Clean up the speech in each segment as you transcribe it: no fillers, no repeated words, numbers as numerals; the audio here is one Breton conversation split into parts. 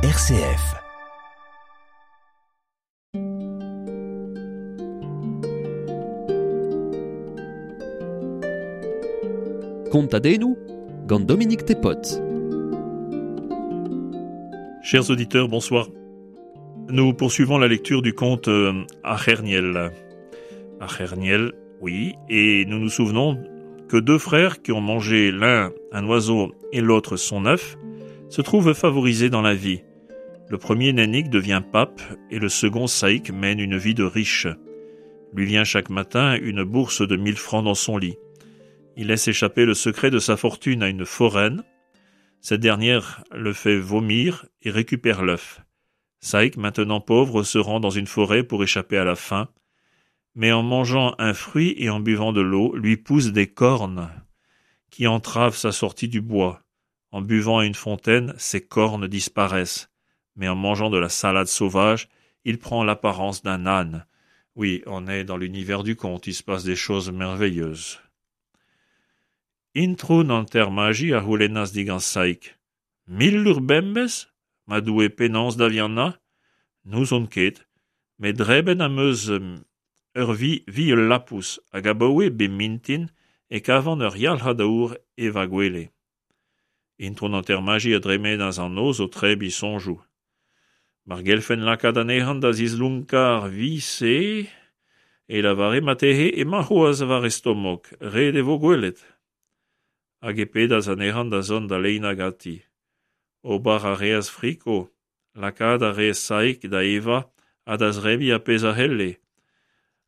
RCF. Kontadennoù gant Dominique Tepot. Chers auditeurs, bonsoir. Nous poursuivons la lecture du conte euh, Acherniel. Acherniel, oui, et nous nous souvenons que deux frères qui ont mangé l'un un oiseau et l'autre son œuf se trouvent favorisés dans la vie. Le premier Nanik devient pape et le second Saïk mène une vie de riche. Lui vient chaque matin une bourse de mille francs dans son lit. Il laisse échapper le secret de sa fortune à une foraine. Cette dernière le fait vomir et récupère l'œuf. Saïk, maintenant pauvre, se rend dans une forêt pour échapper à la faim, mais en mangeant un fruit et en buvant de l'eau, lui pousse des cornes qui entravent sa sortie du bois. En buvant à une fontaine, ses cornes disparaissent, mais en mangeant de la salade sauvage, il prend l'apparence d'un âne. Oui, on est dans l'univers du conte, il se passe des choses merveilleuses. Introun an termaji a c'houlennas digant Saïk. Mil lur bembez Ma doue penaos da viana N'ouzon ket, met drebet am eus ur vi vi ul lapous hag abaoe bep mintin e kavan ur yalc'had aour e va gwele. Intron an termaji a dremenas an noz o trebi soñjoù. Mar gelfen lakaat anezhan da zislonkañ ar vi-se e lavare marteze emañ c'hoazh war e stomok, ret e vo gwelet. Hag e pedas anezhan da zont da leinañ ganti. Ober a reas friko, lakaat a reas Saig da evañ ha da zebriñ ar pezh a c'helle.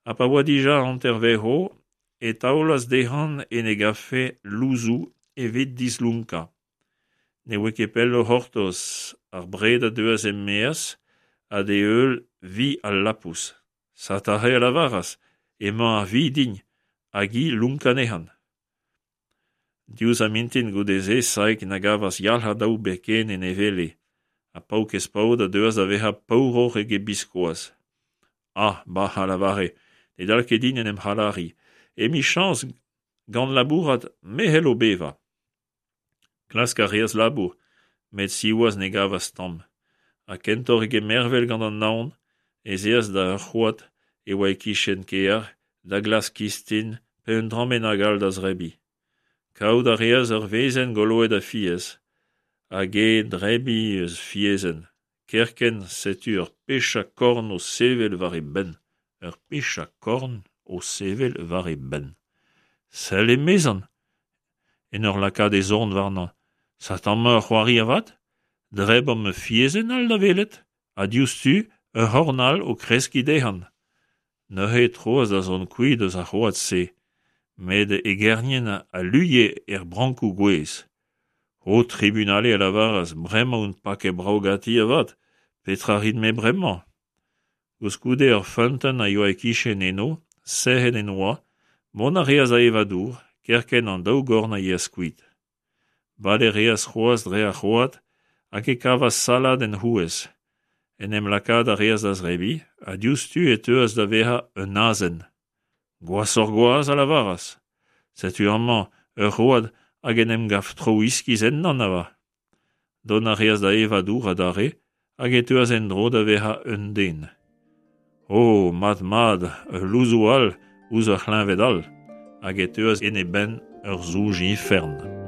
Ha pa oa dija hanter-vezv e taolas dezhañ en e gafe louzoù evit dislonkañ. Ne voe ket pell o c'hortoz, ar bred a deuas er-maez ha d'e heul vi al lapous. Satare a lavaras emañ ar vi din, hag hi lonkañ anezhañ. Diouzh ar mintin goude-se Saig na gavas yalc'had aour ebet ken en e wele, ha paourkaezh paotr a deuas da vezañ paouroc'h eget biskoazh. Ah, bah, a lavare, ne dal ket din en em c'halariñ. Emichañs gant labourat me c'hello bevañ. Klask a reas labour, met siwazh ne gavas tamm. Ha kentoc'h eget mervel gant an naon ez eas da ur c'hoad e oa e-kichen kêr da glask kistin pe un dra bennak all da zebriñ. Kavout a reas ur wezenn goloet a fiez, hag he drebriñ eus fiezenn. Kerkent setu ur pechad korn o sevel war e benn. Ur pechad korn o sevel war e benn. Sell emezan, en ur lakaat e zorn warnañ. Satañ ur c'hoari avat ? Drebomp ur fiezenn all da welet, ha diouzhtu ur c'horn all o kreskiñ dezhañ. Neuze e troas da zont kuit eus ar c'hoad-se, met e gerniel a luie er brankoù gouez. Ho tribunale a lavaras bremañ on paket brav ganti avat, petra 'rin-me bremañ ? Koulskoude ur feunteun a yoa e-kichen eno, sec'hed en doa, mont a reas da evañ dour, kerkent an daou gorn a yeas kuit. Bale a reas c'hoazh dre ar c'hoad hag e kavas salad en c'houez. En em lakaat a reas da zebriñ ha diouzhtu e teuas da vezañ un azen. Gwashoc'h-gwazh a lavaras. Setu amañ ur c'hoad hag en em gav traoù iskis ennañ avat. Dont a reas da evañ dour adarre hag e teuas en-dro da vezañ un den. O, mat-mat, ul louzoù all ouzh ur c'hleñved all! Hag e teuas en e benn ur soñj ifern.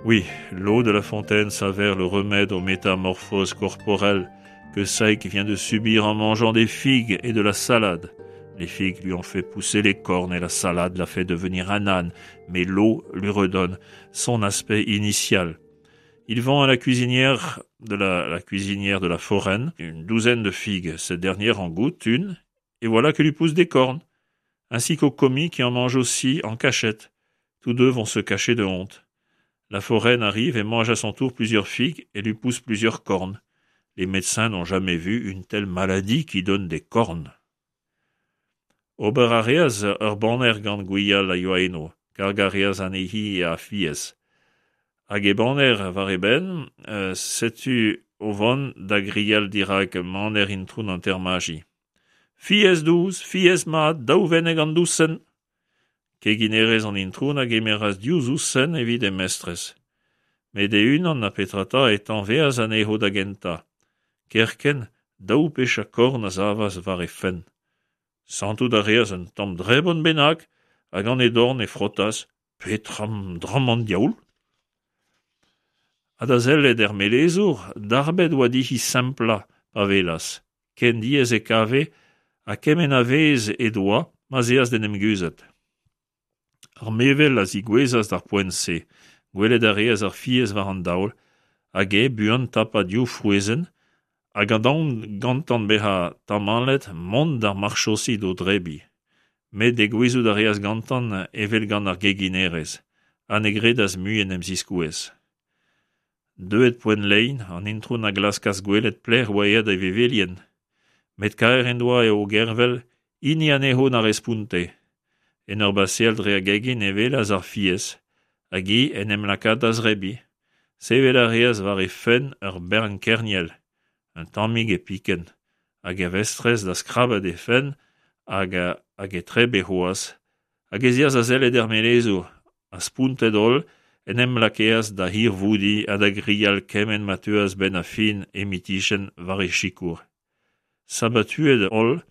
Oui, l'eau de la fontaine s'avère le remède aux métamorphoses corporelles que Saïk vient de subir en mangeant des figues et de la salade. Les figues lui ont fait pousser les cornes et la salade l'a fait devenir un âne, mais l'eau lui redonne son aspect initial. Il vend à la cuisinière de la, la cuisinière de la foraine une douzaine de figues. Cette dernière en goûte une, et voilà que lui pousse des cornes, ainsi qu'au commis qui en mange aussi en cachette. Tous deux vont se cacher de honte. La foraine arrive et mange à son tour plusieurs figues et lui pousse plusieurs cornes. Les médecins n'ont jamais vu une telle maladie qui donne des cornes. Ober a reas ur baner gant gwial a yoa eno. Kargañ a reas anezhi a fiez. Hag e baner war e benn, setu o vont da grial dirak maner intron an Termaji. Fiez dous, fiez mat, daou wenneg an dousenn! Keginerez an intron a gemeras div zousenn evit he mestrez. Met e-unan na petra 'ta e tañveas anezho da gentañ. Kerkent, daou pechad korn a savas war he fenn. Santout a reas un tamm drebon bennak ha gant he dorn e frotas Petra dramm an diaoul ? Ha da sellet er melezour, darbet oa dezhi semplañ pa welas. Ken diaes e kave ha kement a vezh he doa ma'z eas d'en em guzhat. Ar mevel a zigouezhas d'ar poent-se. Gwelet a reas ar fiez war an daol, hag eñ buan tapañ div frouezhenn, ha gant aon gantañ bezañ tamallet mont d'ar marchosi d'o drebriñ. Met degouezhout a reas gantañ evel gant ar geginerez, ha ne gredas mui en em ziskouez. Deuet poent lein, an intron a glaskas gwelet pelec'h oa aet e vevelien. Met kaer en doa o gervel, hini anezho na responte. En ur baseal dre ar gegin e welas ar fiez, hag hi en em lakaat da zebriñ. Sevel a reas war he fenn ur bern kerniel, un tammig e pikent, hag e vestrez da skrabat he fenn hag hag e tebre c'hoazh, hag ez eas da sellet er melezour, ha spontet-holl en em lakeas da hirvoudiñ ha da grial kement ma teuas 'benn ar fin he mitizhien war he sikour. Sabatuet-holl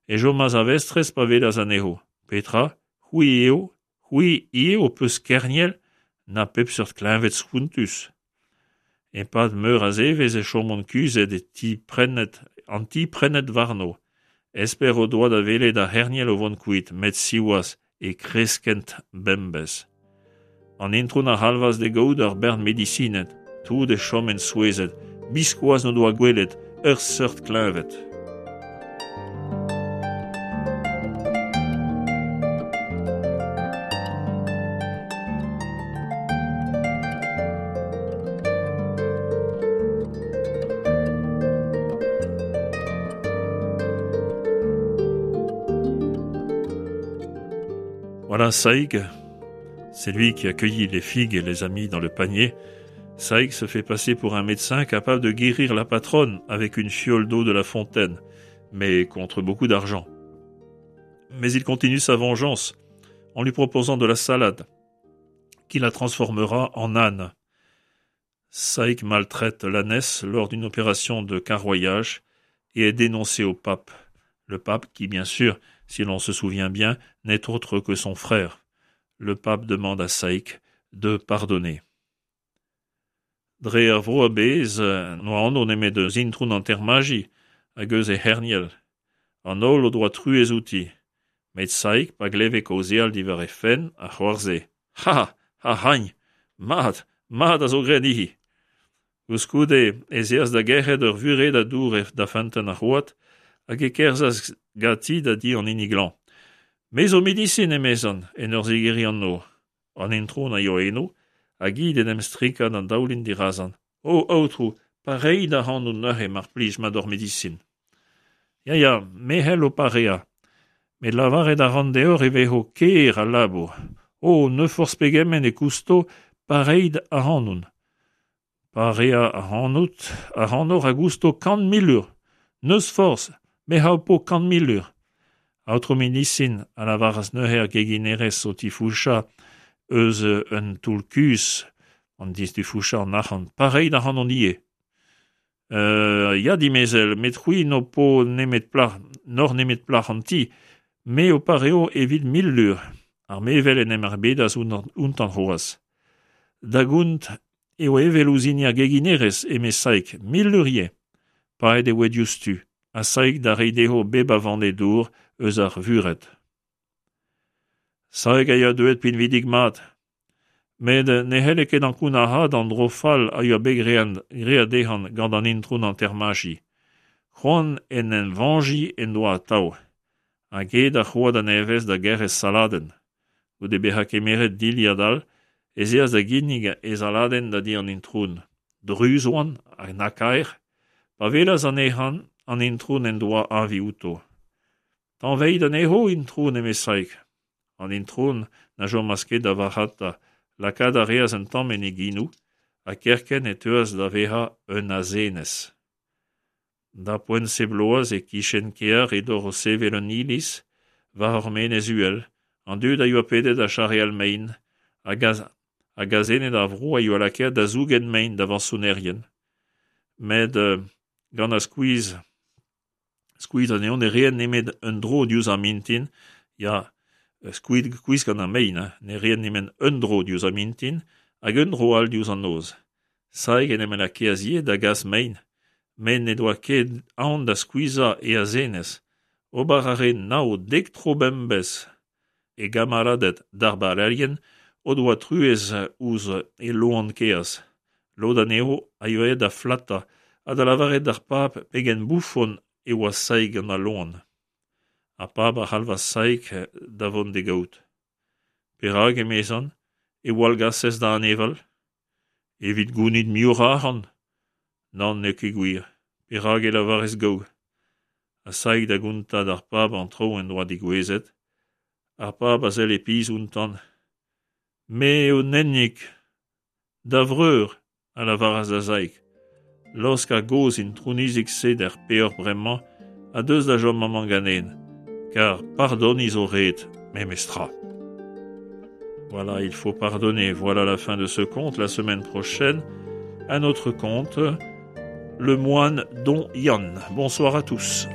e chomas ar vestrez pa welas anezho. Petra, c'hwi eo, c'hwi ivez ho peus kerniel na pep seurt kleñved spontus. E-pad meur a zevezh e chomont kuzhet e ti prennet an ti prennet warno. Esper o doa da welet ar c'herniel o vont kuit, met siwazh e kreskent bemdez. An intron a c'halvas d'e gaout ur bern medisined. Tout e choment souezhet, biskoazh n'o doa gwelet ur seurt kleñved. Voilà, Saïg, c'est lui qui a cueilli les figues et les a mis dans le panier. Saïg se fait passer pour un médecin capable de guérir la patronne avec une fiole d'eau de la fontaine, mais contre beaucoup d'argent. Mais il continue sa vengeance en lui proposant de la salade, qui la transformera en âne. Saïg maltraite l'ânesse lors d'une opération de carroyage et est dénoncé au pape. Le pape qui, bien sûr, si l'on se souvient bien, n'est autre que son frère. Le pape demande à Saïg de pardonner. Dre ar vro a-bezh n'oa anv nemet eus intron an Termaji hag eus he c'herniel. An holl o doa truez outi. Met Saïg, pa gleve kaozeal diwar he fenn, a c'hoarzhe. Ha! Ha c'hagn! Mat! Mat a zo graet dezhi! Koulskoude ez eas da gerc'hat ur vuredad dour da feunteun ar c'hoad hag e kerzhas ganti da di an hini glañv. Me zo medisin, emezan, en ur zigeriñ an nor. An intron a yoa eno, hag hi d'en em strikañ d'an daoulin dirazan. O, aotrou, pareit ac'hanon neuze, mar plij, ma d'hor medisin. Ya, ya, me c'hell ho pareañ. Met lavaret a ran deoc'h e vezo ker al labour. O, n'eus forzh pegement e kousto, pareit ac'hanon. Pareañ ac'hanout ac'hanoc'h a gousto 100 000 lur. N'eus forzh, me ho po 100 000 lur. Aotrou medisin, a lavaras neuze ar geginerez o tifouchañ eus un toull-kuzh, an distifouchañ an arc'hant, pareit ac'hanon ivez. Ya, dimezell, met c'hwi n'ho po nemet plac'h, n'oc'h nemet plac'h an ti. Me ho pareo evit 1000 lur. Ar mevel en em erbedas outañ c'hoazh. Da gont eo evel ouzh hini ar geginerez, eme Saig, 1000 lur ivez. Paeet e oa diouzhtu, ha Saig da reiñ dezho bep a vanne dour eus ar vured. Saig a yoa deuet pinvidik-mat. Met ne c'helle ket ankounac'haat an dro fall a yoa bet graet dezhañ gant an intron an Termaji. C'hoant en em vañjiñ en doa atav. Hag aet ar c'hoad a-nevez da gerc'hez saladenn. Goude bezañ kemeret dilhad all ez eas da ginnig e saladenn da di an intron. Druz oant ha na kaer. Pa welas anezhañ an intron en doa avi outo. Tañveit anezho, intron, eme Saig. An intron na chomas ket da varc'hata, lakaat a reas un tamm en he genoù, ha kerkent e teuas da vezañ un azenez. Da poent-se bloaz e-kichen kear edor o sevel un iliz war ur menez uhel, an dud a yoa pedet da charreal mein, hag hag azened ar vro a yoa lakaet da zougen mein da vañsonerien. Met gant ar skuizh skuizh anezho ne reent nemet un dro diouzh ar mintin, ya, skuizh gant ar mein, hein, ne reent nemet un dro diouzh ar mintin hag un dro all diouzh an noz. Saig en em lakaas ivez da gas mein, met n'he doa ket aon da skuizhañ e azenez. Ober a rae nav, dek tro bemdez. E gamaladed darbarerien o doa truez ouzh e loan kaezh. Lod anezho a yoa aet da flatañ ha da lavaret d'ar pab pegen boufon e oa Saig gant al loan. Ar pab a c'halvas Saig da vont d'e gaout. Perak, emezan, e wallgasez da aneval? Evit gounit muioc'h a arc'hant. Nann, n'eo ket gwir. Perak e lavarez gaou? Ha Saig da gontañ d'ar pab an traoù en doa degouezhet. Ar pab a selle pizh outañ. Me eo Nennig, da vreur, a lavaras da Saig. Laosk ar gozh intronizig-se d'ar peoc'h bremañ ha deus da chom amañ ganen, kar pardoniñ zo ret, memestra. Voilà, il faut pardonner. Voilà la fin de ce conte. La semaine prochaine, un autre conte, Le moine Don Yann. Bonsoir à tous.